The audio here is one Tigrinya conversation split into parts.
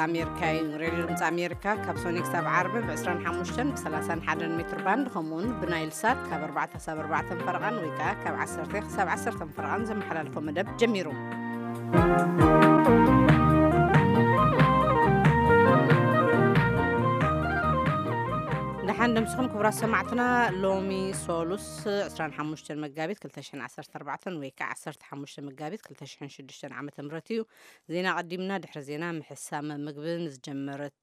ኣሜሪካ እዩ። ሬድዮ ድምፂ ኣሜሪካ ካብ ሶኒ ክሳብ ዓርቢ ብ ዕስራን ሓሙሽተን ብ ሰላሳን ሓደን ሜትር ባንድ፣ ከምኡውን ብናይል ሳት ካብ ኣርባዕተ ክሳብ ኣርባዕተን ፈረቓን ወይ ከዓ ካብ ዓሰርተ ክሳብ ዓሰርተን ፈረቓን ዘመሓላልፎ መደብ ጀሚሩ። ደሓን ደምስኹም ክቡራት ሰማዕትና። ሎሚ ሶሉስ ዕስራን ሓሙሽተን መጋቢት ክልተ ሽሕን ዓሰርተ ኣርባዕተን ወይ ከዓ ዓሰርተ ሓሙሽተ መጋቢት ክልተ ሽሕን ሽዱሽተን ዓመተ ምህረት እዩ። ዜና ቀዲምና፣ ድሕሪ ዜና ምሕሳም ምግቢ ንዝጀመረት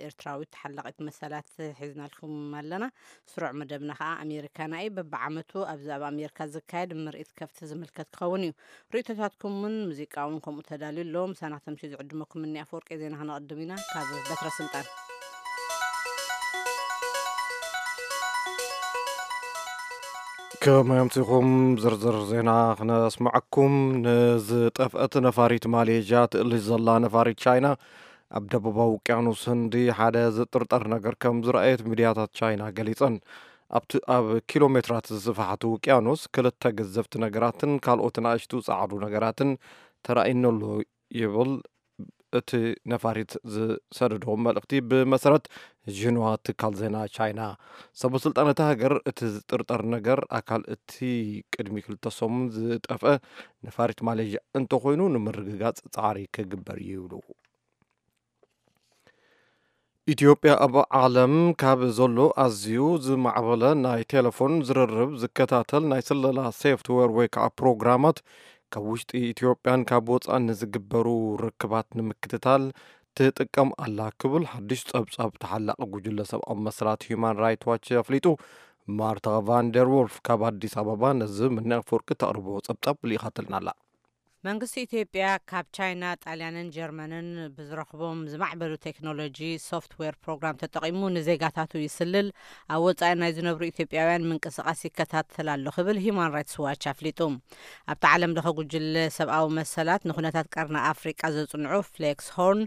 ኤርትራዊት ተሓላቒት መሰላት ሒዝናልኩም ኣለና። ስሩዕ መደብና ከዓ ኣሜሪካና እዩ። በብዓመቱ ኣብዚ ኣብ ኣሜሪካ ዝካየድ ምርኢት ከፍቲ ዝምልከት ክኸውን እዩ። ርእይቶታትኩም እውን ሙዚቃ እውን ከምኡ ተዳልዩ ኣሎ። ምሳና ክተምስዩ ዝዕድመኩም እኒ ኣፈወርቂ። ዜና ክነቐድም ኢና ካብ በትረ ስልጣን። ከመይ ኣምሲኹም? ዝርዝር ዜና ክነስምዐኩም። ንዝጠፍአት ነፋሪት ማሌዥያ ትእልሽ ዘላ ነፋሪት ቻይና ኣብ ደቡባዊ ውቅያኖስ ህንዲ ሓደ ዝጥርጠር ነገር ከም ዝረኣየት ሚድያታት ቻይና ገሊጸን። ኣብቲ ኣብ ኪሎ ሜትራት ዝስፋሕቲ ውቅያኖስ ክልተ ገዘፍቲ ነገራትን ካልኦት ንኣሽቱ ጻዕዱ ነገራትን ተራእዩኒ ኣሎ ይብል እቲ ነፋሪት ዝሰደዶ መልእኽቲ። ብመሰረት ዥንዋ ትካል ዜና ቻይና፣ ሰበ ስልጣን እታ ሃገር እቲ ዝጥርጠር ነገር ኣካል እቲ ቅድሚ ክልተ ሰሙን ዝጠፍአ ነፋሪት ማሌዥያ እንተኾይኑ ንምርግጋጽ ጻዕሪ ክግበር እዩ ይብሉ። ኢትዮጵያ ኣብ ዓለም ካብ ዘሎ ኣዝዩ ዝማዕበለ ናይ ቴሌፎን ዝርርብ ዝከታተል ናይ ስለላ ሶፍትዌር ወይ ከዓ ፕሮግራማት ካብ ውሽጢ ኢትዮጵያን ካብ ወፃእን ንዝግበሩ ርክባት ንምክትታል ትጥቀም ኣላ ክብል ሓድሽ ፀብፃብ ተሓላቒ ጉጅለ ሰብኣዊ መሰላት ሂዩማን ራይት ዋች ኣፍሊጡ። ማርታ ቫንደር ዎልፍ ካብ ኣዲስ ኣበባ ነዚ ምነ ኣፈወርቂ ተቕርቦ ፀብፃብ ልኢኻትልና ኣላ። መንግስቲ ኢትዮጵያ ካብ ቻይና፣ ጣልያንን ጀርመንን ብዝረኽቦም ዝማዕበሉ ቴክኖሎጂ ሶፍትዌር ፕሮግራም ተጠቒሙ ንዜጋታቱ ይስልል፣ ኣብ ወጻኢ ናይ ዝነብሩ ኢትዮጵያውያን ምንቅስቓስ ይከታተል ኣሎ ክብል ሂዩማን ራይትስ ዋች ኣፍሊጡ። ኣብቲ ዓለም ለኸ ጉጅለ ሰብኣዊ መሰላት ንኩነታት ቀርኒ ኣፍሪቃ ዘጽንዑ ፍሌክስ ሆርን፣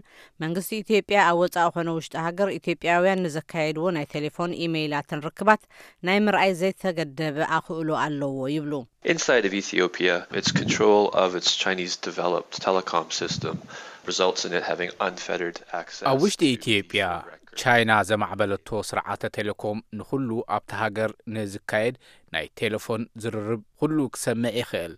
መንግስቲ ኢትዮጵያ ኣብ ወጻኢ ኮነ ውሽጢ ሃገር ኢትዮጵያውያን ንዘካየድዎ ናይ ቴሌፎን ኢሜይላትን ርክባት ናይ ምርኣይ ዘይተገደበ ኣኽእሎ ኣለዎ ይብሉ። Inside of Ethiopia, its control of its Chinese developed telecom system results in it having unfettered access ኣብ ውሽጢ to ኢትዮጵያ፣ media records. ቻይና ዘማዕበለቶ ስርዓተ ቴሌኮም ንኹሉ ኣብቲ ሃገር ንዝካየድ ናይ ቴሌፎን ዝርርብ ኩሉ ክሰምዕ ይኽእል።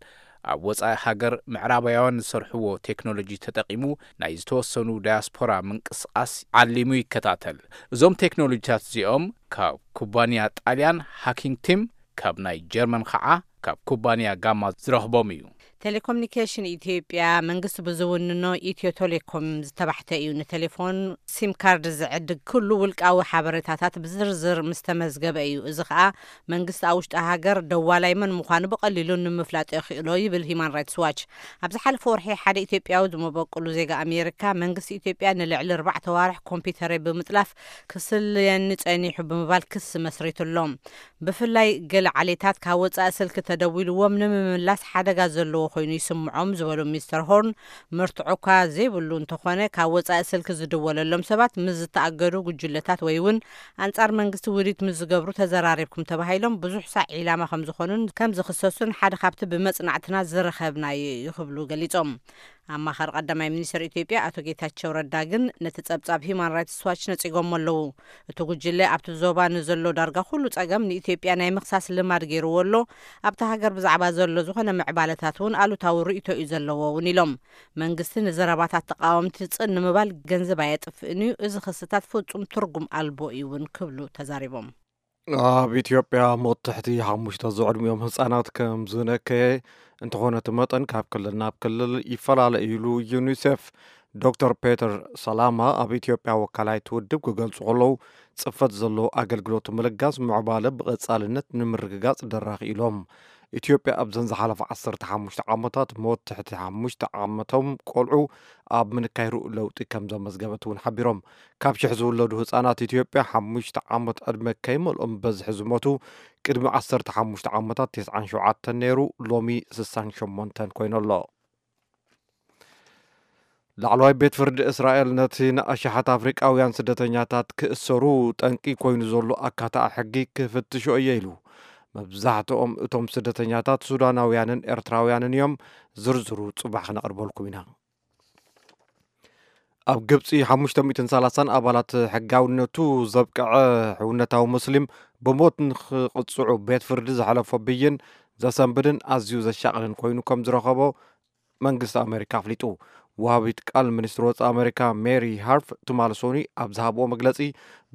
ኣብ ወጻኢ ሃገር ምዕራባውያን ዝሰርሕዎ ቴክኖሎጂ ተጠቒሙ ናይ ዝተወሰኑ ዳያስፖራ ምንቅስቓስ ዓሊሙ ይከታተል። እዞም ቴክኖሎጂታት እዚኦም ካብ ኩባንያ ጣልያን ሃኪንግ ቲም፣ ካብ ናይ ጀርመን ኸዓ ካብ ኩባንያ ጋማ ዝረኽቦም እዩ። ቴሌኮሙኒኬሽን ኢትዮጵያ መንግስቲ ብዝውንኖ ኢትዮ ቴሌኮም ዝተባሕተ እዩ። ንቴሌፎን ሲም ካርድ ዝዕድግ ኩሉ ውልቃዊ ሓበሬታታት ብዝርዝር ምስ ተመዝገበ እዩ። እዚ ኸኣ መንግስቲ ኣብ ውሽጢ ሃገር ደዋላይ መን ምዃኑ ብቐሊሉ ንምፍላጥ የኽእሎ ይብል ሂማን ራይትስ ዋች። ኣብ ዝሓለፈ ወርሒ ሓደ ኢትዮጵያዊ ዝመበቅሉ ዜጋ ኣሜሪካ መንግስቲ ኢትዮጵያ ንልዕሊ ኣርባዕተ ዋርሕ ኮምፒውተረይ ብምጥላፍ ክስልየኒ ጸኒሑ ብምባል ክሲ መስሪቱሎም። ብፍላይ ገለ ዓሌታት ካብ ወጻኢ ስልኪ ተደዊልዎም ንምምላስ ሓደጋ ዘለዎ ኮይኑ ይስምዖም ዝበሉ ሚስተር ሆርን፣ መርትዖ እኳ ዘይብሉ እንተኾነ ካብ ወጻኢ ስልኪ ዝድወለሎም ሰባት ምስ ዝተኣገዱ ጉጅለታት ወይ እውን ኣንጻር መንግስቲ ውዲት ምስ ዝገብሩ ተዘራሪብኩም ተባሂሎም ብዙሕ ሳዕ ዒላማ ከም ዝኾኑን ከም ዝኽሰሱን ሓደ ካብቲ ብመጽናዕትና ዝረኸብናዮ እዩ ክብሉ ገሊጾም። ኣማኻሪ ቀዳማይ ሚኒስትር ኢትዮጵያ ኣቶ ጌታቸው ረዳ ግን ነቲ ጸብጻብ ሂማን ራይትስ ዋች ነጺጎሞ ኣለዉ። እቲ ጉጅለ ኣብቲ ዞባ ንዘሎ ዳርጋ ኩሉ ጸገም ንኢትዮጵያ ናይ ምኽሳስ ልማድ ገይርዎ ኣሎ። ኣብታ ሃገር ብዛዕባ ዘሎ ዝኾነ ምዕባለታት እውን ኣሉታዊ ርእይቶ እዩ ዘለዎ እውን ኢሎም። መንግስቲ ንዘረባታት ተቃወምቲ ጽን ንምባል ገንዘብ ኣየጥፍእን እዩ። እዚ ክስታት ፍጹም ትርጉም ኣልቦ እዩ እውን ክብሉ ተዛሪቦም። ኣብ ኢትዮጵያ ሞት ትሕቲ ሓሙሽተ ዝዕድሚኦም ህጻናት ከም ዝነከየ፣ እንተኾነ እቲ መጠን ካብ ክልል ናብ ክልል ይፈላለ ኢሉ ዩኒሴፍ። ዶክተር ፔተር ሰላማ ኣብ ኢትዮጵያ ወካላይት ውድብ ክገልጹ ከለዉ፣ ጽፈት ዘሎ ኣገልግሎት ምልጋስ ምዕባለ ብቐጻልነት ንምርግጋጽ ደራኺ ኢሎም። ኢትዮጵያ ኣብዘን ዝሓለፈ ዓሰርተ ሓሙሽተ ዓመታት ሞት ትሕቲ ሓሙሽተ ዓመቶም ቆልዑ ኣብ ምንካይ ርኡይ ለውጢ ከም ዘመዝገበት እውን ሓቢሮም። ካብ ሽሕ ዝውለዱ ህጻናት ኢትዮጵያ ሓሙሽተ ዓመት ዕድመ ከይመልኦም ብበዝሒ ዝሞቱ ቅድሚ ዓሰርተ ሓሙሽተ ዓመታት ተስዓን ሸውዓተን ነይሩ፣ ሎሚ ስሳን ሸሞንተን ኮይኑ ኣሎ። ላዕለዋይ ቤት ፍርዲ እስራኤል ነቲ ንኣሽሓት ኣፍሪቃውያን ስደተኛታት ክእሰሩ ጠንቂ ኮይኑ ዘሎ ኣካታዒ ሕጊ ክፍትሾ እየ ኢሉ። መብዛሕትኦም እቶም ስደተኛታት ሱዳናውያንን ኤርትራውያንን እዮም። ዝርዝሩ ጽባሕ ክነቕርበልኩም ኢና። ኣብ ግብጺ ሓሙሽተ ሚእትን ሰላሳን ኣባላት ሕጋውነቱ ዘብቅዐ ሕውነታዊ ሙስሊም ብሞት ንኽቕጽዑ ቤት ፍርዲ ዘሕለፎ ብይን ዘሰንብድን ኣዝዩ ዘሻቕልን ኮይኑ ከም ዝረኸቦ መንግስቲ ኣሜሪካ ኣፍሊጡ። ወሃቢት ቃል ሚኒስትሪ ወጻኢ ኣሜሪካ ሜሪ ሃርፍ ትማሊ ሶኒ ኣብ ዝሃብዎ መግለጺ፣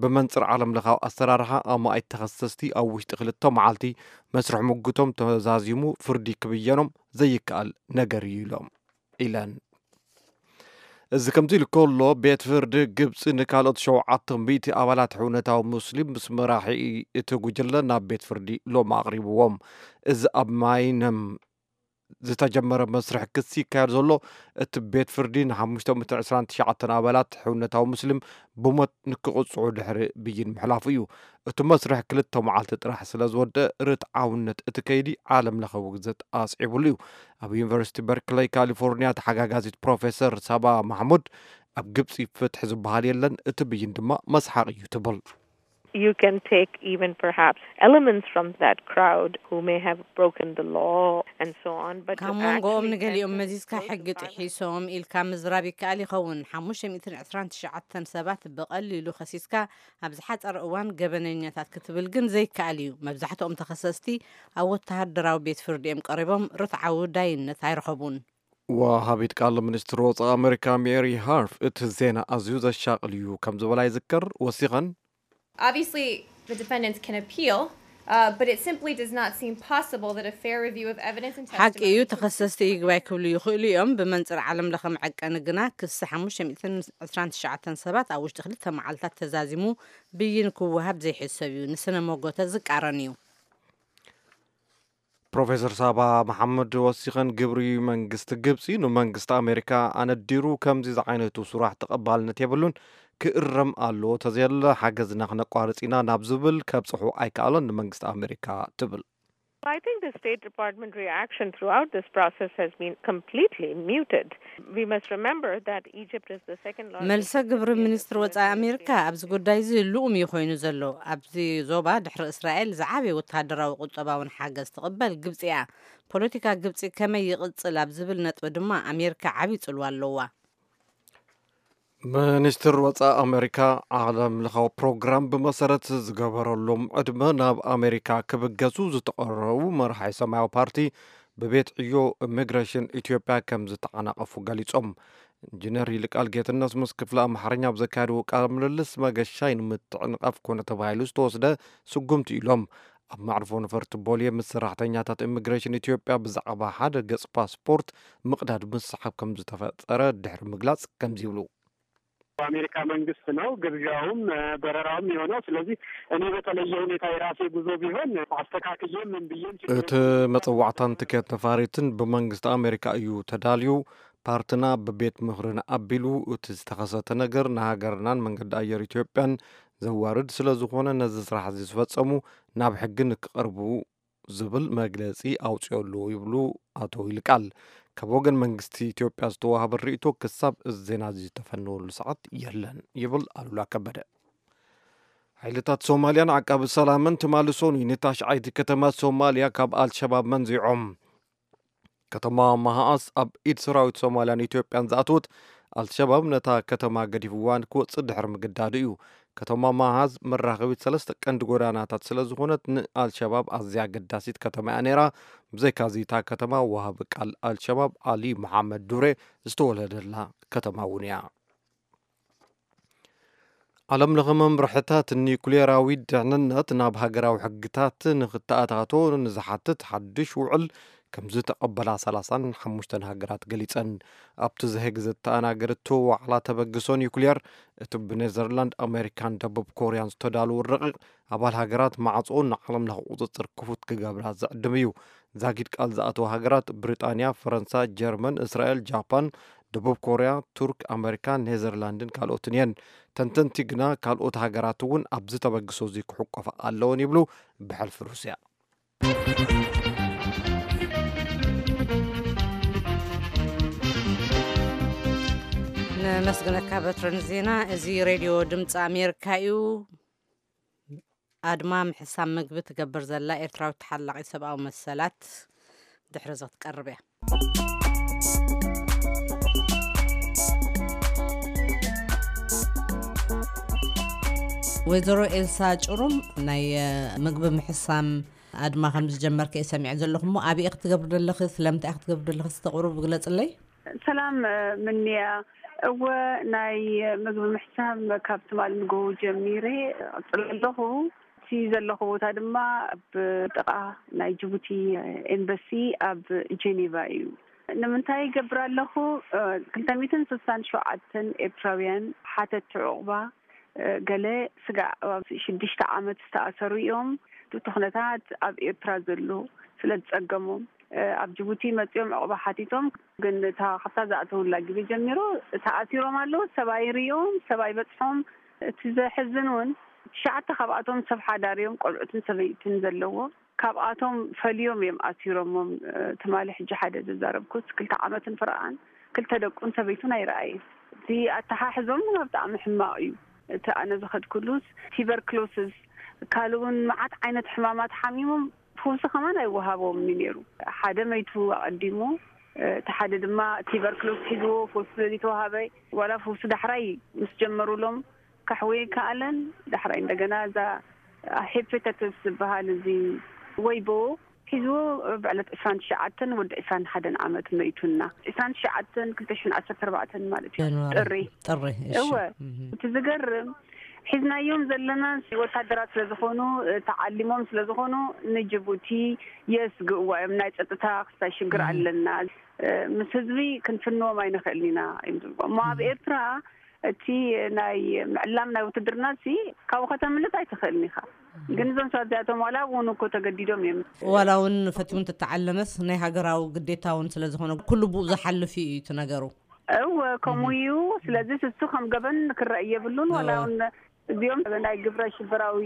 ብመንጽር ዓለም ለኻዊ ኣሰራርሓ ኣማኢት ተኸሰስቲ ኣብ ውሽጢ ክልተ መዓልቲ መስርሕ ምጉቶም ተዛዚሙ ፍርዲ ክብየኖም ዘይከኣል ነገር እዩ ኢሎም ኢለን። እዚ ከምዚ ኢሉ ከሎ፣ ቤት ፍርዲ ግብጺ ንካልኦት ሸውዓተ ሚእቲ ኣባላት ሕውነታዊ ሙስሊም ምስ መራሒ እቲ ጉጅለ ናብ ቤት ፍርዲ ሎም ኣቕሪብዎም። እዚ ኣብ ማይነም ዝተጀመረ መስርሕ ክሲ ይካየድ ዘሎ፣ እቲ ቤት ፍርዲ ን ሓሙሽተ ሚእትን ዕስራን ትሽዓተን ኣባላት ሕውነታዊ ሙስሊም ብሞት ንክቕጽዑ ድሕሪ ብይን ምሕላፉ እዩ። እቲ መስርሕ ክልተ መዓልቲ ጥራሕ ስለ ዝወደአ፣ ርትዓውነት እቲ ከይዲ ዓለም ለኸ ውግዘት ኣስዒቡሉ እዩ። ኣብ ዩኒቨርሲቲ በርክለይ ካሊፎርኒያ ተሓጋጋዚት ፕሮፌሰር ሳባ ማሕሙድ፣ ኣብ ግብጺ ፍትሒ ዝበሃል የለን፣ እቲ ብይን ድማ መስሓቕ እዩ ትብል። You can take even perhaps elements from that crowd who may have broken the law and so on, but to ካብ መንጎኦም actually ንገሊኦም enter መዚዝካ those ሕጊ departments ጥሒሶም ኢልካ ምዝራብ ይከኣል ይኸውን። ሓሙሽተ ሚእትን ዕስራን ትሽዓተን ሰባት ብቐሊሉ ከሲስካ፣ ኣብ ዝሓጸረ እዋን ገበነኛታት ክትብል ግን ዘይከኣል እዩ። መብዛሕትኦም ተኸሰስቲ ኣብ ወተሃደራዊ ቤት ፍርዲ እዮም ቀሪቦም፣ ርትዓዊ ዳይነት ኣይረኸቡን። ወሃቢት ቃል ሚኒስትሪ ወጻኢ ኣሜሪካ ሜሪ ሃርፍ፣ እቲ ዜና ኣዝዩ ዘሻቕል እዩ ከም ዝበላ ይዝከር። ወሲኸን፣ Obviously, the defendants can appeal, uh, but it simply does not seem possible that a fair review of evidence and ሓቂ እዩ፣ testimony ተኸሰስቲ ይግባይ ክብሉ ይኽእሉ እዮም። ብመንጽር ዓለም ለኸ መዐቀኒ ግና፣ ክሲ ሓሙሽተ ሚእትን ዕስራን ትሽዓተን ሰባት ኣብ ውሽጢ ክልተ መዓልታት ተዛዚሙ ብይን ክወሃብ ዘይሕሰብ እዩ፣ ንስነ መጎተ ዝቃረን እዩ። ፕሮፌሰር ሳባ መሓመድ ወሲኸን፣ ግብሪ መንግስቲ ግብጺ ንመንግስቲ ኣሜሪካ ኣነዲሩ ከምዚ ዝዓይነቱ ስራሕ ተቐባልነት የብሉን፣ ክእረም ኣለዎ፣ ተዘየለ ሓገዝና ክነቋርጽ ኢና ናብ ዝብል ከብጽሑ ኣይከኣለን ንመንግስቲ ኣሜሪካ ትብል። I think the State Department reaction throughout this process has been completely muted. We must remember that Egypt is the second largest መልሰ ግብሪ ሚኒስትሪ ወጻኢ ኣሜሪካ ኣብዚ ጉዳይ እዚ ልኡም እዩ ኮይኑ ዘሎ። ኣብዚ ዞባ ድሕሪ እስራኤል ዝዓበየ ወተሃደራዊ ቁጠባውን ሓገዝ ትቕበል ግብጺ እያ። ፖለቲካ ግብጺ ከመይ ይቕጽል ኣብ ዝብል ነጥቢ ድማ ኣሜሪካ ዓብዪ ጽልዋ ኣለዋ። ሚኒስትር ወጻኢ ኣሜሪካ ዓለም ለኻዊ ፕሮግራም ብመሰረት ዝገበረሎም ዕድመ ናብ ኣሜሪካ ክብገሱ ዝተቐረቡ መራሒ ሰማያዊ ፓርቲ ብቤት ዕዮ ኢሚግሬሽን ኢትዮጵያ ከም ዝተዓናቐፉ ገሊጾም። ኢንጂነር ይልቃል ጌትነት ምስ ክፍሊ ኣምሓርኛ ኣብ ዘካየድዎ ቃለ ምልልስ፣ መገሻይ ንምትዕንቓፍ ኮነ ተባሂሉ ዝተወስደ ስጉምቲ ኢሎም። ኣብ መዕርፎ ነፈርቲ ቦሌ ምስ ሰራሕተኛታት ኢሚግሬሽን ኢትዮጵያ ብዛዕባ ሓደ ገጽ ፓስፖርት ምቕዳድ ምስሓብ ከም ዝተፈጠረ ድሕሪ ምግላጽ ከምዚ ይብሉ። በአሜሪካ መንግስት ነው ግብዣውም በረራውም የሆነው። ስለዚህ እኔ በተለየ ሁኔታ የራሴ ጉዞ ቢሆን አስተካክዬ ምን ብዬም እቲ መጸዋዕታን ትኬት ነፋሪትን ብመንግስቲ ኣሜሪካ እዩ ተዳልዩ። ፓርትና ብቤት ምኽርን ኣቢሉ፣ እቲ ዝተኸሰተ ነገር ንሃገርናን መንገዲ ኣየር ኢትዮጵያን ዘዋርድ ስለ ዝኾነ፣ ነዚ ስራሕ እዚ ዝፈጸሙ ናብ ሕጊ ንክቐርቡ ዝብል መግለጺ ኣውጺኦ ኣለዎ ይብሉ ኣቶ ይልቃል። ካብ ወገን መንግስቲ ኢትዮጵያ ዝተዋህበ ርእይቶ ክሳብ እዚ ዜና እዚ ዝተፈነወሉ ሰዓት የለን ይብል ኣሉላ ከበደ። ሓይልታት ሶማልያን ዓቃቢ ሰላምን ትማሊ ሶኑይ ንታሽዓይቲ ከተማ ሶማልያ ካብ ኣልሸባብ መንዚዖም። ከተማ ማሃኣስ ኣብ ኢድ ሰራዊት ሶማልያን ኢትዮጵያን ዝኣተወት ኣልሸባብ ነታ ከተማ ገዲፍዋ ንክወፅእ ድሕሪ ምግዳዱ እዩ። ከተማ ማሃዝ መራኸቢት ሰለስተ ቀንዲ ጎዳናታት ስለ ዝኾነት ንኣልሸባብ ኣዝያ ኣገዳሲት ከተማ እያ ነይራ። ብዘይካዚ እታ ከተማ ወሃቢ ቃል ኣልሸባብ ኣሊ መሓመድ ዱሬ ዝተወለደላ ከተማ እውን እያ። ዓለም ለኸ መምርሕታት ኒኩሌራዊ ድሕንነት ናብ ሃገራዊ ሕግታት ንክተኣታቶ ንዝሓትት ሓድሽ ውዕል ከም ዝተቐበላ ሰላሳን ሓሙሽተን ሃገራት ገሊጸን። ኣብቲ ዘሄግ ዝተኣናገደቶ ዋዕላ ተበግሶ ኒኩሌር፣ እቲ ብኔዘርላንድ፣ ኣሜሪካን ደቡብ ኮርያን ዝተዳለወ ረቂቕ፣ ኣባል ሃገራት ማዕጾ ንዓለም ለኸ ቁጽጽር ክፉት ክገብራ ዝዕድም እዩ። ዛጊድ ቃል ዝኣተዋ ሃገራት ብሪጣንያ፣ ፈረንሳ፣ ጀርመን፣ እስራኤል፣ ጃፓን፣ ደቡብ ኮርያ፣ ቱርክ፣ ኣሜሪካ፣ ኔዘርላንድን ካልኦትን እየን። ተንተንቲ ግና ካልኦት ሃገራት እውን ኣብዚ ተበግሶ እዚ ክሕቆፋ ኣለወን ይብሉ። ብሕልፊ ሩስያ ነመስግነካ በትረን ዜና። እዚ ሬድዮ ድምፂ ኣሜሪካ እዩ። ኣድማ ምሕሳብ ምግቢ ትገብር ዘላ ኤርትራዊት ተሓላቒት ሰብኣዊ መሰላት ድሕሪ እዚ ክትቀርብ እያ። ወይዘሮ ኤልሳ ጭሩም፣ ናይ ምግቢ ምሕሳም ኣድማ ከም ዝጀመርክ እየ ሰሚዐ ዘለኹ እሞ፣ ኣበይ ክትገብሪ ደለኺ? ስለምንታይ ክትገብሪ ደለኺ? ዝተቕርቡ ግለጽለይ። ሰላም ምንያ። እወ፣ ናይ ምግቢ ምሕሳም ካብ ትማል ንጎ ጀሚረ እቕጽል ኣለኹ። እቲ ዘለኹ ቦታ ድማ ኣብ ጥቓ ናይ ጅቡቲ ኤምባሲ ኣብ ጀኔቫ እዩ። ንምንታይ ይገብር ኣለኹ? ክልተ ሚእትን ስሳን ሸውዓተን ኤርትራውያን ሓተቲ ዑቕባ፣ ገለ ስጋዕ ኣብ ሽዱሽተ ዓመት ዝተኣሰሩ እዮም። እቲ ኩነታት ኣብ ኤርትራ ዘሎ ስለ ዝጸገሞም፣ ኣብ ጅቡቲ መጺኦም ዑቕባ ሓቲቶም፣ ግን እታ ካብታ ዝኣተውላ ግዜ ጀሚሩ ተኣሲሮም ኣለዉ። ሰብኣይ ርእዮም፣ ሰብኣይ በጽሖም። እቲ ዘሕዝን እውን ትሽዓተ ካብኣቶም ሰብ ሓዳር እዮም፣ ቆልዑትን ሰበይትን ዘለዎ። ካብኣቶም ፈልዮም እዮም ኣሲሮሞም። ትማሊ ሕጂ ሓደ ዘዛረብኩት ክልተ ዓመትን ፍርቓን ክልተ ደቁን ሰበይቱን ኣይረኣየን። እቲ ኣተሓሕዞም ግን ብጣዕሚ ሕማቕ እዩ። እቲ ኣነ ዝኸድኩሉስ ቲበርክሎስስ ካልእ እውን መዓት ዓይነት ሕማማት ሓሚሞም፣ ፈውሲ ከማን ኣይወሃቦምን እዩ ነይሩ። ሓደ መይቱ ኣቐዲሙ፣ እቲ ሓደ ድማ ቲበርክሎስ ሒዝዎ፣ ፈውሲ ስለ ዘይተዋሃበ፣ ዋላ ፈውሲ ዳሕራይ ምስ ጀመሩሎም ካሕወ ይከኣለን። ዳሕራይ እንደገና እዛ ሄፐታይተስ ዝበሃል እዚ ወይቦ ሒዝዎ ብዕለት ዕስራን ትሽዓተን ወዲ ዕስራን ሓደን ዓመት መይቱና። ዕስራን ትሽዓተን ክልተ ሽሕን ዓሰርተ ኣርባዕተን ማለት እዩ። ጃንዋሪ። ጥሪ። ጥሪ፣ እሺ። እወ። እህ። እቲ ዝገርም፣ ሒዝናዮም ዘለና ወታደራት ስለ ዝኾኑ፣ ተዓሊሞም ስለ ዝኾኑ፣ ንጅቡቲ የስግእዋ እዮም። ናይ ጸጥታ ክስታይ ሽግር እህ። ኣለና። ምስ ህዝቢ ክንፍንዎም ኣይንኽእልን ኢና እዮም ዝብሉ። እሞ ኣብ እህ። ኤርትራ እቲ ናይ ምዕላም ናይ ውትድርና ሲ ካብኡ ከተምልጥ ኣይትኽእልን ኢኻ። እህ። ግን እዞም ሰባት እዚኣቶም ዋላ እውን እኮ ተገዲዶም እዮም። ዋላ እውን ፈትዩ እንተተዓለመስ ናይ ሃገራዊ ግዴታ እውን ስለ ዝኾነ ኩሉ ብኡ ዝሓልፍ እዩ እቲ ነገሩ። እወ፣ ከምኡ እህ። እዩ። ስለዚ እሱ ከም ገበን ክረአ የብሉን። ዋላ እወ። እውን እዚኦም ናይ ግብረ ሽበራዊ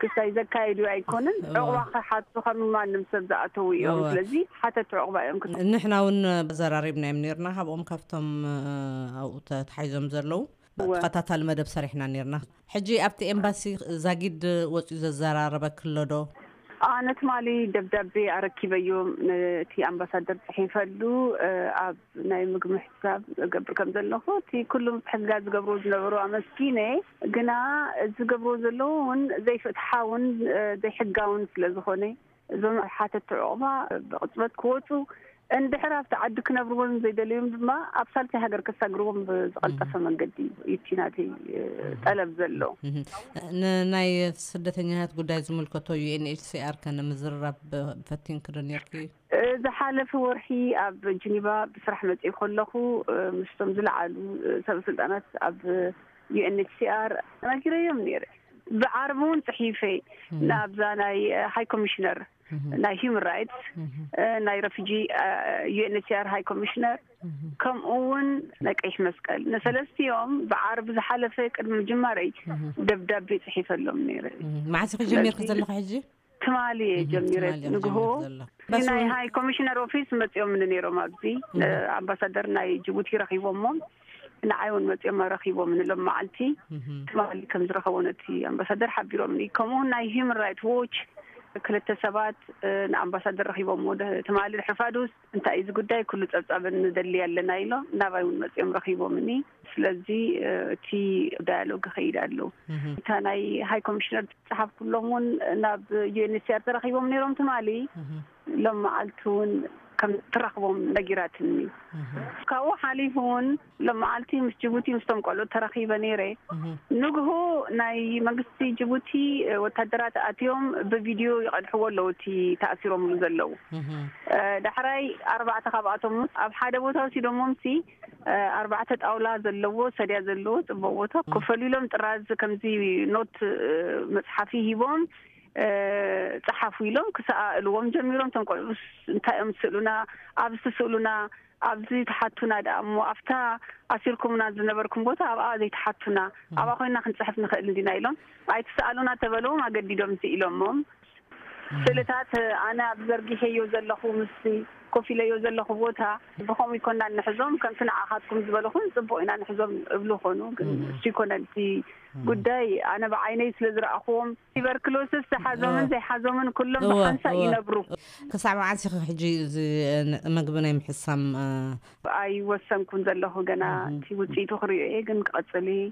ክስታይ ዘካየዱ ኣይኮንን። እወ። ዕቑባ ክሓቱ ከም ማንም ሰብ ዝኣተዉ እዮም። እወ። ስለዚ ሓተቲ ዕቑባ እዮም ክስ- ንሕና እውን ዘራሪብናዮም ነርና። ካብኦም ካብቶም፣ እ፣ ኣብኡ ተታሒዞም ዘለዉ እወ። ተኸታታሊ መደብ ሰሪሕና ነርና። ሕጂ ኣብቲ ኤምባሲ ዛጊድ ወፂኡ ዘዘራረበኪ ኣሎ ዶ? ኣነ ትማሊ ደብዳቤ ኣረኪበዮም ነቲ ኣምባሳደር ጽሒፈሉ፣ እ፣ ኣብ ናይ ምግቢ ምሕሳብ እገብር ከም ዘለኹ፣ እቲ ኩሉ ምትሕግጋዝ ዝገብርዎ ዝነበሩ ኣመስጊነ፣ ግና ዝገብርዎ ዘለዉ እውን ዘይፍትሓውን፣ እ፣ ዘይሕጋውን ስለ ዝኾነ፣ እዞም ሓተቲ ዕቑባ ብቕጽበት ክወጹ፣ እንድሕር ኣብቲ ዓዲ ክነብርዎም ዘይደለዮም ድማ ኣብ ሳልሳይ ሃገር ከሳግርዎም ብዝቐልጠፈ እህ። መንገዲ እዩ እቲ ናተይ፣ እ፣ እህ። ጠለብ ዘሎ። እህ። ን-፣ ናይ ስደተኛታት ጉዳይ ዝምልከቶ ዩ ኤን ኤች ሲ ኣር ከ ንምዝርራብ ፈቲንኪ ዶ ነርኪ? እ፣ ዝሓለፈ ወርሒ ኣብ ጂኒቫ ብስራሕ መጺኤ ከለኹ፣ እ፣ ምስቶም ዝለዓሉ፣ እ፣ ሰበ ስልጣናት ኣብ ዩ ኤን ኤች ሲ ኣር ተናጊረዮም ነይረ። ብዓርቢ እውን ጽሒፈ እም። ናብዛ ናይ፣ እ፣ ሃይ ኮሚሽነር እም። ናይ ሂውማን ራይትስ፣ እም። እ፣ ናይ ረፊጂ፣ እ፣ ዩ ኤን ኤች ሲ ኣር ሃይ ኮሚሽነር፣ እም። ከምኡ እውን ናይ ቀይሕ መስቀል። ንሰለስቲኦም ብዓርቢ ዝሓለፈ ቅድሚ ምጅማረይ እም። ደብዳቤ ጽሒፈሎም ነይረ። እም። መዓስ ኢኺ ጀሚርኪ ስለዚ ዘለኺ ሕጂ? ትማሊ እየ እህ፣ ጀሚረ ትማሊ እየ ንግሆ። ጀሚረ ዘሎ። እቲ ናይ በሱ ሃይ ኮሚሽነር ኦፊስ መጺኦምኒ ነይሮም ኣብዚ። እህ። ኣምባሳደር ናይ ጅቡቲ ረኺቦሞ። ንዓይ እውን መጺኦም ረኺቦምኒ ሎም መዓልቲ። እህ። ትማሊ ከም ዝረኸቦ ነቲ ኣምባሳደር ሓቢሮምኒ። ከምኡ እውን ናይ ሂውማን ራይት ዎች ክልተ ሰባት፣ እ፣ ንኣምባሳደር ረኺቦምዎ ደ-፣ ትማሊ ድሕሪ ፋዱስ እንታይ እዩ እዚ ጉዳይ? ኩሉ ጸብጻብ ንደሊ ኣለና ኢሎም ናባይ እውን መጺኦም ረኺቦምኒ። ስለዚ፣ እ፣ እቲ ዳያሎግ ይኸይድ ኣሎ። እህ። እታ ናይ ሃይ ኮሚሽነር ዝጸሓፍኩሎም እውን ናብ ዩ ኤን ኤች ሲ ኣር ተራኺቦም ነይሮም ትማሊ። እህ። ሎም መዓልቲ እውን ከም ትራኽቦም ነጊራትኒ። እህ። ካብኡ ሓሊፉ እውን ሎም መዓልቲ ምስ ጅቡቲ ምስቶም ቆልዑት ተራኺበ ነይረ። እህ። ንግሆ ናይ መንግስቲ ጅቡቲ፣ እ፣ ወታደራት ኣትዮም ብቪድዮ ይቐድሕዎ ኣለዉ እቲ ተኣሲሮምሉ ዘለዉ። እህ። እ፣ ዳሕራይ ኣርባዕተ ካብኣቶም ኣብ ሓደ ቦታ ወሲዶሞምሲ፣ እ፣ ኣርባዕተ ጣውላ ዘለዎ፣ ሰድያ ዘለዎ ጽቡቕ ቦታ እህ። ኮፍ ኢሎም ጥራዝ ከምዚ ኖት፣ እ፣ መጽሓፊ ሂቦም፣ እ፣ ጸሓፉ ኢሎም ክሰኣእልዎም ጀሚሮም። እቶም ቆልዑስ እንታይ እዮም ዝስእሉና? ኣብዚ ትስእሉና፣ ኣብዚ ትሓቱና ደኣ እሞ ኣብታ ኣሲርኩምና ዝነበርኩም ቦታ ኣብኣ ዘይትሓቱና፣ እም። ኣብኣ ኮይና ክንጽሕፍ ንኽእል እንዲና ኢሎም ኣይትሰኣሉና ተበለዎም፣ ኣገዲዶም ስኢሎሞም። እም። ስእልታት ኣነ ኣብ ዘርጊሐዮ ዘለኹ ምስቲ ኮፍ ኢለዮ ዘለኹ ቦታ ብኸምኡ ይኮና እንሕዞም፣ ከምቲ ንዓኻትኩም ዝበልኹን ጽቡቕ ኢና ንሕዞም እብሉ ኾኑ። ግን እሱ ይኮነን እቲ ጉዳይ፣ ኣነ ብዓይነይ ስለ ዝረኣኹዎም፣ ቲበርክሎስስ ዝሓዞምን ዘይሓዞምን ኩሎም እወ፣ ብሓንሳእ እወ። ይነብሩ። ክሳብ መዓስ ኢኺ ሕጂ እዚ፣ እ፣ ን-፣ መግቢ ናይ ምሕሳም፣ እ፣ ኣይወሰንኩን ዘለኹ ገና። እቲ ውጽኢቱ ክርእዮ እየ፣ ግን ክቐጽል እየ።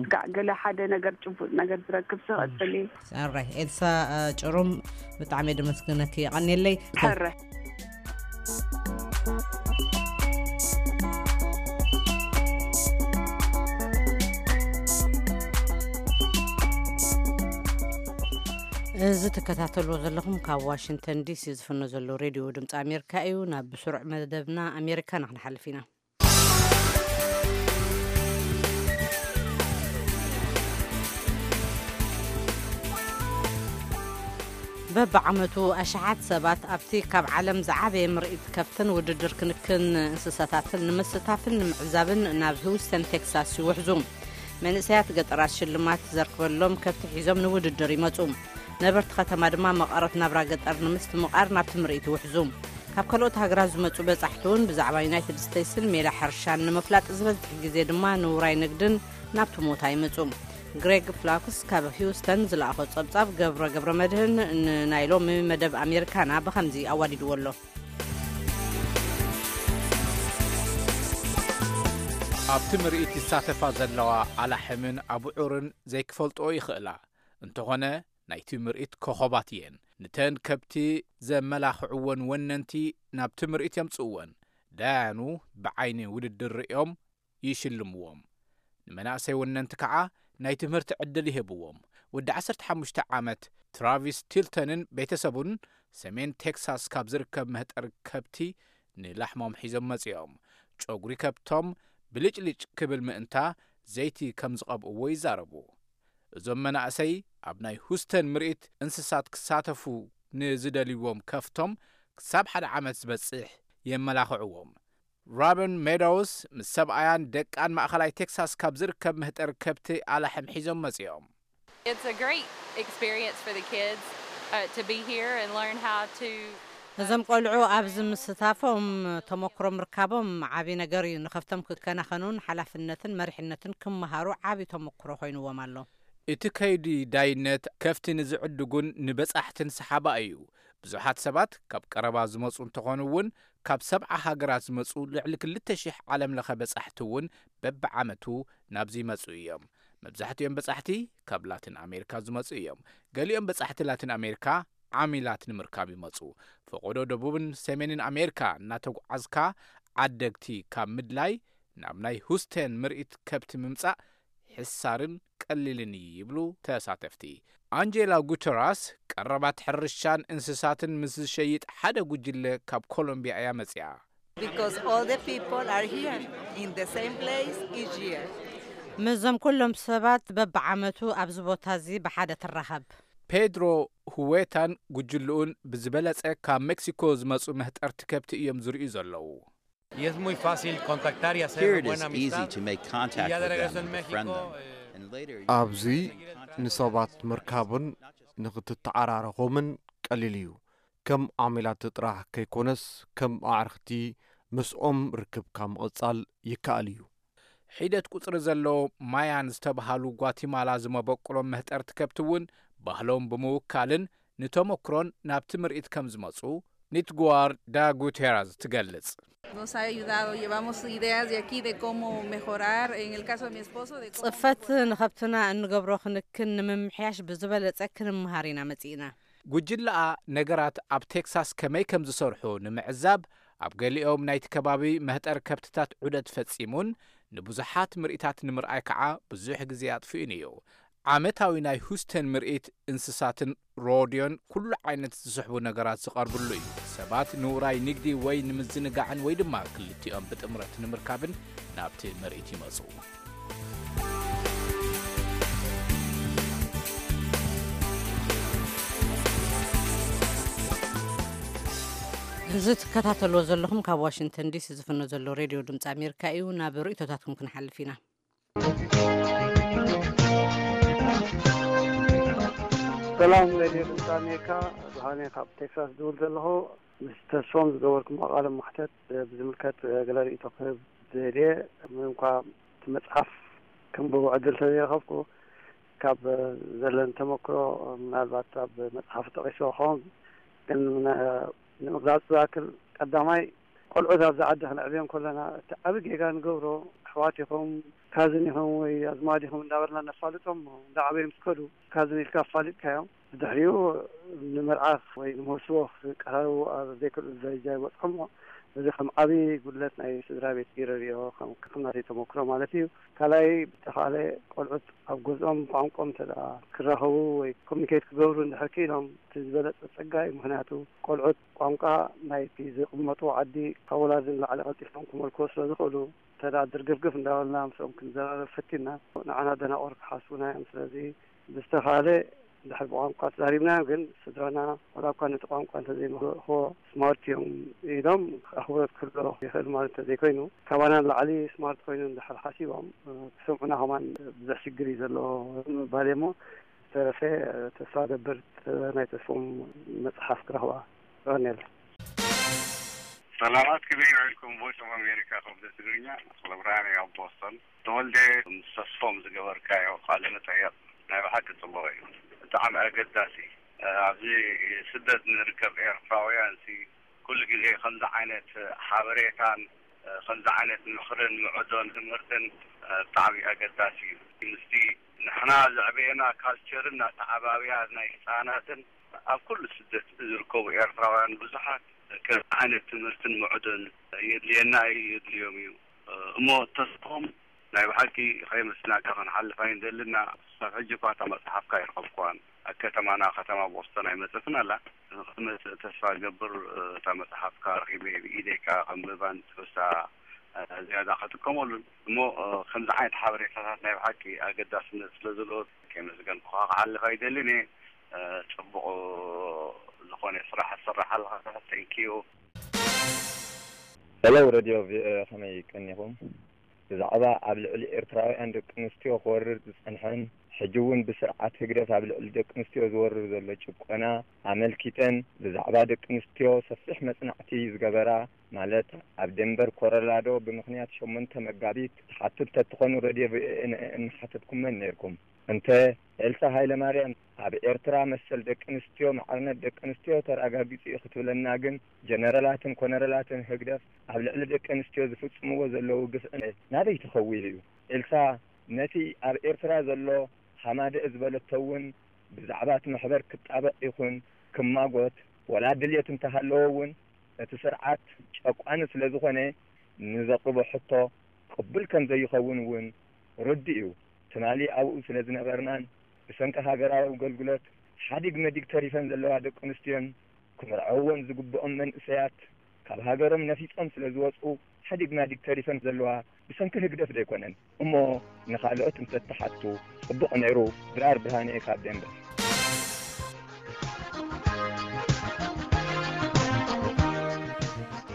ስጋዕ ገለ ሓደ ነገር፣ ጭቡጥ ነገር ዝረክብ ክቐጽል እየ። ኣራይ፣ ኤልሳ፣ እ፣ ጭሩም፣ ብጣዕሚ እየ ደመስግነኪ። የቐንየለይ። ሕረ። እዚ ትከታተልዎ ዘለኹም ካብ ዋሽንግተን ዲሲ ዝፍኖ ዘሎ ሬድዮ ድምፂ ኣሜሪካ እዩ። ናብ ብስሩዕ መደብና ኣሜሪካና ክንሓልፍ ኢና። በብዓመቱ ኣሽሓት ሰባት ኣብቲ ካብ ዓለም ዝዓበየ ምርኢት ከብትን ውድድር ክንክን እንስሳታትን ንምስታፍን ንምዕዛብን ናብ ሂውስተን ቴክሳስ ይውሕዙ። መንእሰያት ገጠራት ሽልማት ዘርክበሎም ከብቲ ሒዞም ንውድድር ይመጹ። ነበርቲ ከተማ ድማ መቐረት ናብራ ገጠር ንምስትምቓር ናብቲ ምርኢት ይውሕዙ። ካብ ካልኦት ሃገራት ዝመጹ በጻሕቲ እውን ብዛዕባ ዩናይትድ ስቴትስን ሜላ ሕርሻን ንምፍላጥ ዝበዝሕ ግዜ ድማ ንውራይ ንግድን ናብቲ ሞታ ይመጹ። ግሬግ ፍላክስ ካብ ሂውስተን ዝለኣኾ ጸብጻብ ገብረ ገብረ መድህን ንናይ ሎሚ መደብ ኣሜሪካና ብኸምዚ ኣዋዲድዎ ኣሎ። ኣብቲ ምርኢት ይሳተፋ ዘለዋ ኣላሕምን ኣቡዑርን ዘይክፈልጥኦ ይኽእላ። እንተኾነ፣ ናይቲ ምርኢት ኮኸባት እየን። ንተን ከብቲ ዘመላኽዕወን ወነንቲ ናብቲ ምርኢት የምጽእወን። ዳያኑ ብዓይኒ ውድድር ርእዮም ይሽልምዎም። ንመናእሰይ ወነንቲ ከዓ ናይ ትምህርቲ ዕድል ይህብዎም። ወዲ ዓሰርተ ሓሙሽተ ዓመት ትራቪስ ቲልተንን ቤተሰቡን ሰሜን ቴክሳስ ካብ ዝርከብ መህጠሪ ከብቲ ንላሕሞም ሒዞም መጺኦም። ጨጉሪ ከብቶም ብልጭልጭ ክብል ምእንታ ዘይቲ ከም ዝቐብእዎ ይዛረቡ። እዞም መናእሰይ ኣብ ናይ ሁስተን ምርኢት እንስሳት ክሳተፉ ንዝደልይዎም ከፍቶም ክሳብ ሓደ ዓመት ዝበጽሕ የመላኽዕዎም። ሮቢን ሜዶውስ ምስ ሰብኣያን ደቃን ማእኸላይ ቴክሳስ ካብ ዝርከብ መህጠሪ ከብቲ ኣላሕም ሒዞም መጺኦም። It's a great experience for the kids, uh, to be here and learn how to, uh, እዞም ቆልዑ ኣብዚ ምስታፎም ተመክሮ ምርካቦም ዓቢ ነገር እዩ። ንከፍቶም ክከናኸኑን ሓላፍነትን መሪሕነትን ክመሃሩ ዓቢ ተመክሮ ኮይንዎም ኣሎ። እቲ ከይዲ ዳይነት ከፍቲ ንዝዕድጉን ንበጻሕትን ሰሓባ እዩ። ብዙሓት ሰባት ካብ ቀረባ ዝመጹ እንተኾኑ እውን፣ ካብ ሰብዓ ሃገራት ዝመጹ ልዕሊ ክልተ ሽሕ ዓለም ለኸ በጻሕቲ እውን በብዓመቱ ናብዚ ይመጹ እዮም። መብዛሕትኦም በጻሕቲ ካብ ላቲን ኣሜሪካ ዝመጹ እዮም። ገሊኦም በጻሕቲ ላቲን ኣሜሪካ ዓሚላት ንምርካብ ይመጹ። ፈቐዶ ደቡብን ሰሜንን ኣሜሪካ እናተጓዓዝካ ዓደግቲ ካብ ምድላይ ናብ ናይ ሁስቴን ምርኢት ከብቲ ምምጻእ ሕሳርን ቀሊልን እዩ ይብሉ ተሳተፍቲ። ኣንጀላ ጉተራስ ቀረባት ሕርሻን እንስሳትን ምስ ዝሸይጥ ሓደ ጉጅለ ካብ ኮሎምቢያ እያ መጺኣ። Because all the people are here in the same place each year. ምስዞም ኩሎም ሰባት በብዓመቱ ኣብዚ ቦታ እዚ ብሓደ ትራኸብ። ፔድሮ ሁዌታን ጉጅልኡን ብዝበለጸ ካብ ሜክሲኮ ዝመጹ መህጠርቲ ከብቲ እዮም ዝርእዩ ዘለዉ። Y es muy fácil contactar y hacer Here it is buena easy amistad. To make contact Y ya de with regreso them en and México, befriend them. Eh, And later you ኣብዚ ንሰባት ምርካብን ንኽትተዓራረኾምን ቀሊል እዩ። ከም ዓሚላት ጥራሕ ከይኮነስ ከም ኣዕርኽቲ ምስኦም ርክብካ ምቕጻል ይከኣል እዩ። ሒደት ቁጽሪ ዘለዎ ማያን ዝተብሃሉ ጓቲማላ ዝመበቁሎም መህጠርቲ ከብቲ እውን ባህሎም ብምውካልን ንተመክሮን ናብቲ ምርኢት ከም ዝመጹ ኒትጓር ዳ ጉቴራዝ ትገልጽ። Nos ha ayudado, llevamos ideas de aquí de cómo mejorar, en el caso de mi esposo, de cómo ጽፈት ንኸብትና እንገብሮ ክንክን ንምምሕያሽ ብዝበለጸ ክንምሃር ኢና መጺእና። ጉጅለኣ ነገራት ኣብ ቴክሳስ ከመይ ከም ዝሰርሑ ንምዕዛብ ኣብ ገሊኦም ናይቲ ከባቢ መህጠሪ ከብትታት ዑደት ፈጺሙን ንብዙሓት ምርኢታት ንምርኣይ ከዓ ብዙሕ ግዜ ኣጥፊኡን እዩ። ዓመታዊ ናይ ሁስተን ምርኢት እንስሳትን ሮድዮን ኩሉ ዓይነት ዝስሕቡ ነገራት ዝቐርብሉ እዩ። ሰባት ንውራይ ንግዲ ወይ ንምዝንጋዕን ወይ ድማ ክልቲኦም ብጥምረት ንምርካብን ናብቲ ምርኢት ይመጹ። እዚ ትከታተልዎ ዘለኹም ካብ ዋሽንግተን ዲሲ ዝፍኖ ዘሎ ሬድዮ ድምፂ ኣሜሪካ እዩ። ናብ ርእይቶታትኩም ክንሓልፍ ኢና። ሰላም ሬድዮ ድምፂ ኣሜሪካ፣ ብርሃነ ካብ ቴክሳስ ዝውል ዘለኹ። ምስ ተስፎም ዝገበርኩሞ ቃለ መሕተት ብዝምልከት ገለ ርእይቶ ክህብ ዝደልየ፣ ምንም እንኳ እቲ መጽሓፍ ክንብቦ ዕድል ተዘይረኸብኩ፣ ካብ ዘለኒ ተመክሮ ምናልባት ኣብ መጽሓፍ ጠቒስዎ ክኸውን፣ ግን ን-፣ ንምግላጽ ዝኣክል፣ ቀዳማይ፣ ቆልዑት ኣብዚ ዓዲ ክነዕብዮም ከለና፣ እቲ ዓቢ ጌጋ ንገብሮ፣ ኣሕዋት ኢኹም፣ ካዝን ኢኹም ወይ ኣዝማድ ኢኹም እንዳበልና ነፋልጦም፣ እንዳዓበዩ ምስ ከዱ፣ ካዝን ኢልካ ኣፋሊጥካዮም። ብድሕሪኡ ንመርዓ ወይ ንመውስቦ ክቀራረቡ ኣብ ዘይክእሉ ደረጃ ይበጽሖም። እዚ ከም ዓቢ ጉድለት ናይ ስድራ ቤት ገይረ ርእዮ፣ ከም፣ ከም ናተይ ተመክሮ ማለት እዩ። ካልኣይ፣ ብተኻእለ ቆልዑት ኣብ ገዝኦም ቋንቋኦም እንተ ደኣ ክራኸቡ ወይ ኮሚኒኬት ክገብሩ እንድሕር ክኢሎም፣ እቲ ዝበለጸ ጸጋ እዩ። ምኽንያቱ ቆልዑት ቋንቋ ናይቲ ዝቕመጡ ዓዲ ካብ ወላዲ ንላዕሊ ቀልጢፎም ክመልክዎ ስለ ዝኽእሉ፣ እንተ ደኣ ድርግፍግፍ እንዳበልና ምስኦም ክንዘራረብ ፈቲና፣ ንዓና ደናቑር ክሓስቡና እዮም። ስለዚ ብዝተኻእለ እንድሕር ብቋንቋ ተዛሪብናዮም፣ ግን ስድራና ዋላ እኳ ነቲ ቋንቋ እንተዘይመኽርዎ፣ ስማርት እዮም ኢሎም ኣኽብሮት ክህልዎ ይኽእል ማለት እንተዘይኮይኑ፣ ካባና ንላዕሊ ስማርት ኮይኑ እንድሕር ሓሲቦም፣ እ፣ ክሰምዑና ከማን ብዙሕ ሽግር እዩ ዘለዎ ምባል እየ እሞ፣ ዝተረፈ፣ እ፣ ተስፋ ገብር፣ እ፣ ናይ ተስፎም መጽሓፍ ክረኽባ። የቐንየለይ። ሰላማት፣ ከመይ ውዒልኩም? ቮይስ ኦፍ ኣሜሪካ፣ ክፍሊ ትግርኛ፣ ተኽለ ብርሃን እየ፣ ኣብ ቦስተን። ተወልደ፣ ምስ ተስፎም ዝገበርካዮ ቃለ መጠየቕ ናይ ብሓቂ ጽቡቕ እዩ። ብጣዕሚ ኣገዳሲ። ኣብዚ ስደት ንርከብ ኤርትራውያን ሲ ኩሉ ግዜ ከምዚ ዓይነት ሓበሬታን ከምዚ ዓይነት ምኽርን ምዕዶን ትምህርትን ብጣዕሚ ኣገዳሲ እዩ። ምስቲ ንሕና ዘዕበየና ካልቸርን ኣተዓባብያ ናይ ህፃናትን ኣብ ኩሉ ስደት ዝርከቡ ኤርትራውያን ብዙሓት ከምዚ ዓይነት ትምህርትን ምዕዶን የድልየና እዩ፣ የድልዮም እዩ። እሞ ተስፎም ናይ ብሓቂ ከየመስግናካ ክንሓልፍ ኣይንደልን። ክሳብ ሕጂ እኳ እታ መጽሓፍካ ኣይረኸብኩዋን። ኣብ ከተማና፣ ከተማ ቦስተን ኣይመጸትን ኣላ። ንኽትመጽእ ተስፋ እገብር። እታ መጽሓፍካ ረኺበ ብኢደይ ከኣ ከንብባን ትሕዝታ ዝያዳ ክጥቀመሉን። እሞ ከምዚ ዓይነት ሓበሬታታት ናይ ብሓቂ ኣገዳስነት ስለ ዘለዎ ከየመስገንኩኻ ክሓልፍ ኣይደልን እየ። ጽቡቕ ዝኾነ ስራሕ ትሰርሕ ኣለኻ። Thank you። ሄሎ፣ ሬድዮ ቪኦኤ፣ ከመይ ቀኒኹም? ብዛዕባ ኣብ ልዕሊ ኤርትራውያን ደቂ ኣንስትዮ ክወርድ ዝጸንሐን ሕጂ እውን ብስርዓት ህግደፍ ኣብ ልዕሊ ደቂ ኣንስትዮ ዝወርድ ዘሎ ጭቆና ኣመልኪተን፣ ብዛዕባ ደቂ ኣንስትዮ ሰፊሕ መጽናዕቲ ዝገበራ፣ ማለት ኣብ ዴንቨር ኮሎራዶ ብምኽንያት ሸሞንተ መጋቢት ትሓቱ እንተትኾኑ፣ ሬድዮ ቪኦኤ ንአን ምሓተትኩመን ነይርኩም። እንተ ኤልሳ ሃይለማርያም ኣብ ኤርትራ መሰል ደቂ ኣንስትዮ፣ ማዕርነት ደቂ ኣንስትዮ ተረጋጊጹ እዩ ክትብለና ግን፣ ጀነራላትን ኮነረላትን ህግደፍ ኣብ ልዕሊ ደቂ ኣንስትዮ ዝፍጽምዎ ዘለዉ ግፍዒ ናበይ ተኸዊሉ እዩ? ኤልሳ ነቲ ኣብ ኤርትራ ዘሎ ሃማደኤ ዝበለቶ እውን ብዛዕባ እቲ መሕበር ክጣበቕ ይኹን ክማጎት ወላ ድልየት እንተሃለዎ እውን፣ እቲ ስርዓት ጨቋኒ ስለ ዝኾነ፣ ንዘቕርቦ ሕቶ ቅቡል ከም ዘይኸውን እውን ርዱእ እዩ። ትማሊ ኣብኡ ስለ ዝነበርናን ብሰንኪ ሃገራዊ ኣገልግሎት ሓዲግ መዲግ ተሪፈን ዘለዋ ደቂ ኣንስትዮን ክምርዐወን ዝግብኦም መንእሰያት ካብ ሃገሮም ነፊጾም ስለ ዝወጹ፣ ሓዲግ ማዲግ ተሪፈን ዘለዋ ብሰንኪ ህግደፍ ደይኮነን እሞ፣ ንኻልኦት እንተትሓቱ ጽቡቕ ነይሩ። ድራር ብርሃነ ካብ ደንበ።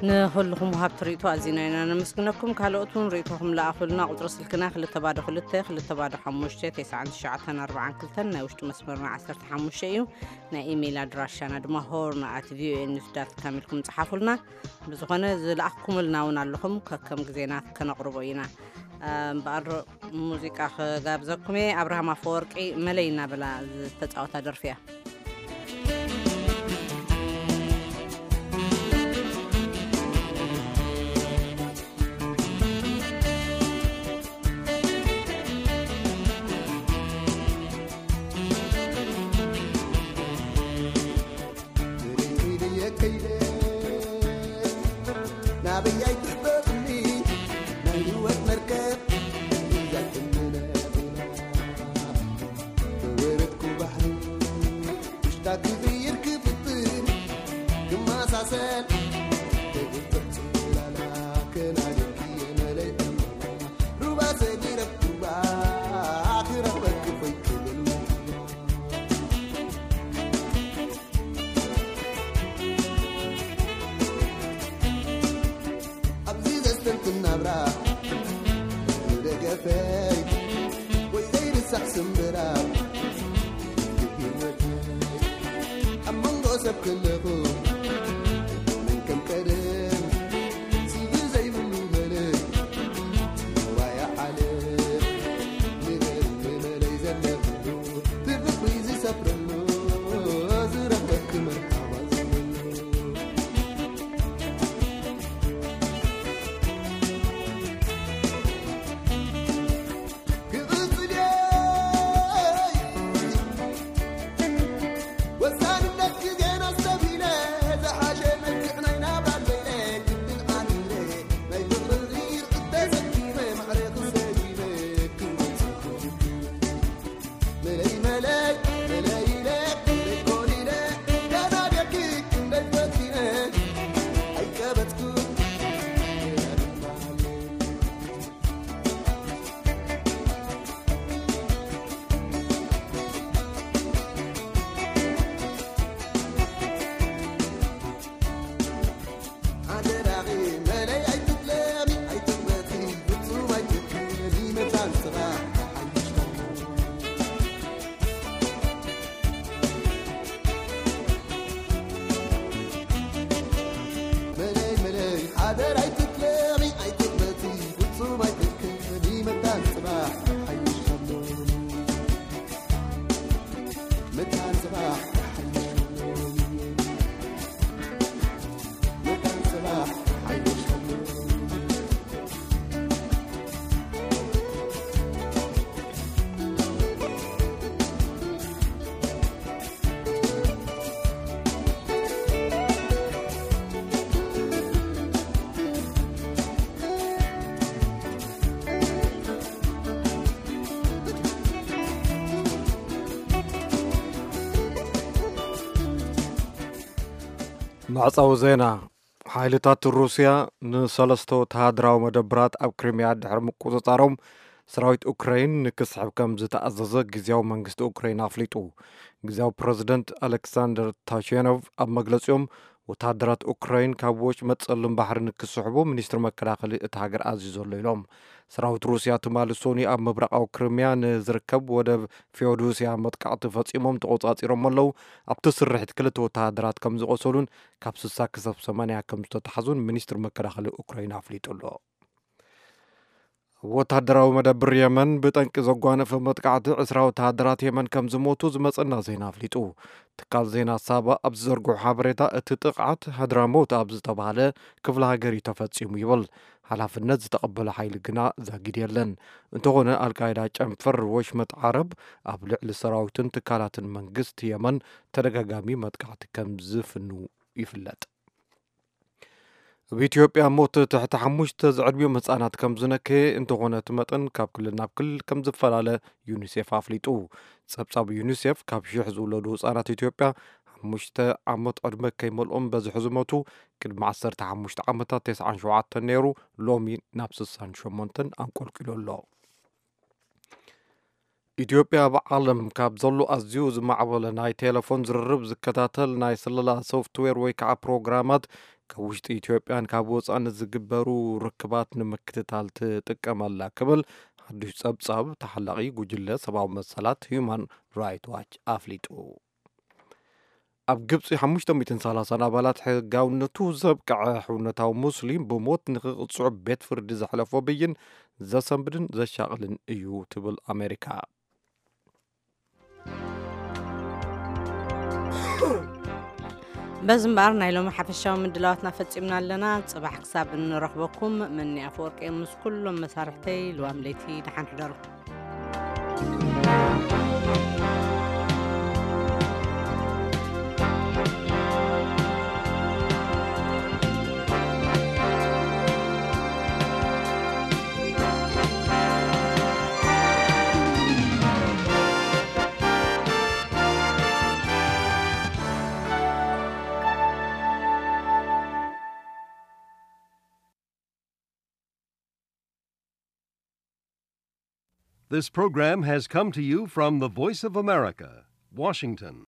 ንኹልኹም ወሃብቲ ርእይቶ ኣዚና ኢና ነመስግነኩም። ካልኦት እውን ርእይቶኹም ለኣኹልና። ቁጽሪ ስልክና ክልተ ባዶ ክልተ፣ ክልተ ባዶ ሓሙሽተ፣ ተስዓን ትሽዓተን ኣርባዓን ክልተን፣ ናይ ውሽጢ መስመርና ዓሰርተ ሓሙሽተ እዩ። ናይ ኢሜይል ኣድራሻና ድማ ሆርን ኣት ቪኦኤ ኒውስ ዳት ካም ኢልኩም ጽሓፉልና። ብዝኾነ ዝለኣኽኩምልና እውን ኣለኹም፣ ከከም ግዜና ከነቕርቦ ኢና። እምበኣር ሙዚቃ ክጋብዘኩም እየ። ኣብርሃም ኣፈወርቂ መለይ እናበላ ዝተፃወታ ደርፊ እያ። ናበይ ኣይትሕበጥኒ ናይ ህይወት መርከብ እያ ትምነብና። ወረድኩ ባሕሪ ውሽጣ ክዝይር ክፍትን ክመሳሰል ተግብር ጽላላ ከናድኪ የመለይ ሩባ ሰጊረኩባ ክረኽበኪ ኮይክብል ኣብዚ ዘስተንትን ናብራ ደገፈይ ወይ ዘይርሳዕ ስምብራ ህይወት ኣብ መንጎ ሰብ ከለኹ ወሳንነት ግዜና ኣስተብሂለ፣ ዝሓሸ መልክዕ ናይ ናብራ ዘይለ፣ ግድን ኣሚረ፣ ናይ ፍቕሪ ርዕድ ተሰኪመ፣ ማዕረ ክሰጊመ፣ ክብሪ መለይ፣ መለይ፣ መለይ ኢለ፣ ክንደይ ኮሊለ፣ ገና ደቂ ክንደይ ፈቲነ፣ ኣይቀበጽኩ፣ ገና ድማ መዕጸዊ ዜና። ሓይልታት ሩስያ ንሰለስተ ወተሃደራዊ መደብራት ኣብ ክሪምያ ድሕሪ ምቁጽጻሮም፣ ሰራዊት ኡክራይን ንክስሕብ ከም ዝተኣዘዘ ግዝያዊ መንግስቲ ኡክራይን ኣፍሊጡ። ግዝያዊ ፕረዚደንት ኣሌክሳንደር ታሸኖቭ ኣብ መግለጺኦም፣ ወተሃደራት ኡክራይን ካብ ወሽመጥ ጸሊም ባሕሪ ንክስሕቡ ሚኒስትሪ መከላኸሊ እታ ሃገር ኣዚዙ ኣሎ ኢሎም። ሰራዊት ሩስያ ትማሊ ሶኒ ኣብ ምብራቓዊ ክሪምያ ንዝርከብ ወደብ ፊዮዶስያ መጥቃዕቲ ፈጺሞም ተቖጻጺሮም ኣለዉ። ኣብቲ ስርሒት ክልተ ወተሃደራት ከም ዝቖሰሉን ካብ ስሳ ክሳብ ሰማንያ ከም ዝተታሕዙን ሚኒስትሪ መከላኸሊ ኡክራይን ኣፍሊጡ ኣሎ። ወተሃደራዊ መደብር የመን ብጠንቂ ዘጓነፈ መጥቃዕቲ ዕስራ ወተሃደራት የመን ከም ዝሞቱ ዝመጸና ዜና ኣፍሊጡ። ትካል ዜና ሳባ ኣብ ዝዘርግሖ ሓበሬታ፣ እቲ ጥቕዓት ሃድራሞት ኣብ ዝተባህለ ክፍለ ሃገር እዩ ተፈጺሙ ይብል። ሓላፍነት ዝተቐበለ ሓይሊ ግና ዛጊድ የለን። እንተኾነ፣ ኣልቃይዳ ጨንፈር ወሽመጥ ዓረብ ኣብ ልዕሊ ሰራዊትን ትካላትን መንግስቲ የመን ተደጋጋሚ መጥቃዕቲ ከም ዝፍኑ ይፍለጥ። ኣብ ኢትዮጵያ ሞት ትሕቲ ሓሙሽተ ዝዕድሚኦም ህጻናት ከም ዝነከየ፣ እንተኾነ እቲ መጠን ካብ ክልል ናብ ክልል ከም ዝፈላለ ዩኒሴፍ ኣፍሊጡ። ጸብጻብ ዩኒሴፍ፣ ካብ ሽሕ ዝውለዱ ህጻናት ኢትዮጵያ ሓሙሽተ ዓመት ዕድመ ከይመልኦም በዝሒ ዝሞቱ፣ ቅድሚ ዓሰርተ ሓሙሽተ ዓመታት ተስዓን ሸውዓተን ነይሩ፣ ሎሚ ናብ ስሳን ሸሞንተን ኣንቆልቂሉ ኣሎ። ኢትዮጵያ ኣብ ዓለም ካብ ዘሎ ኣዝዩ ዝማዕበለ ናይ ቴሌፎን ዝርርብ ዝከታተል ናይ ስለላ ሶፍትዌር ወይ ከዓ ፕሮግራማት፣ ካብ ውሽጢ ኢትዮጵያን ካብ ወፃኢ ንዝግበሩ ርክባት ንምክትታል ትጥቀመላ ክብል ሓዱሽ ፀብፃብ ተሓላቒ ጉጅለ ሰብኣዊ መሰላት ሂዩማን ራይት ዋች ኣፍሊጡ። ኣብ ግብፂ ሓሙሽተ ሚእትን ሰላሳን ኣባላት ሕጋውነቱ ዘብቅዐ ሕውነታዊ ሙስሊም ብሞት ንክቕፅዑ ቤት ፍርዲ ዘሕለፎ ብይን ዘሰንብድን ዘሻቕልን እዩ ትብል ኣሜሪካ። በዚ እምበኣር ናይ ሎሚ ሓፈሻዊ ምድላዋትና ፈጺምና ኣለና። ጽባሕ ክሳብ እንረኽበኩም፣ መኒ ኣፈወርቂ ምስ ኩሎም መሳርሕተይ ልዋም ለይቲ ደሓን ሕደሩ። This program has come to you from the Voice of America, Washington.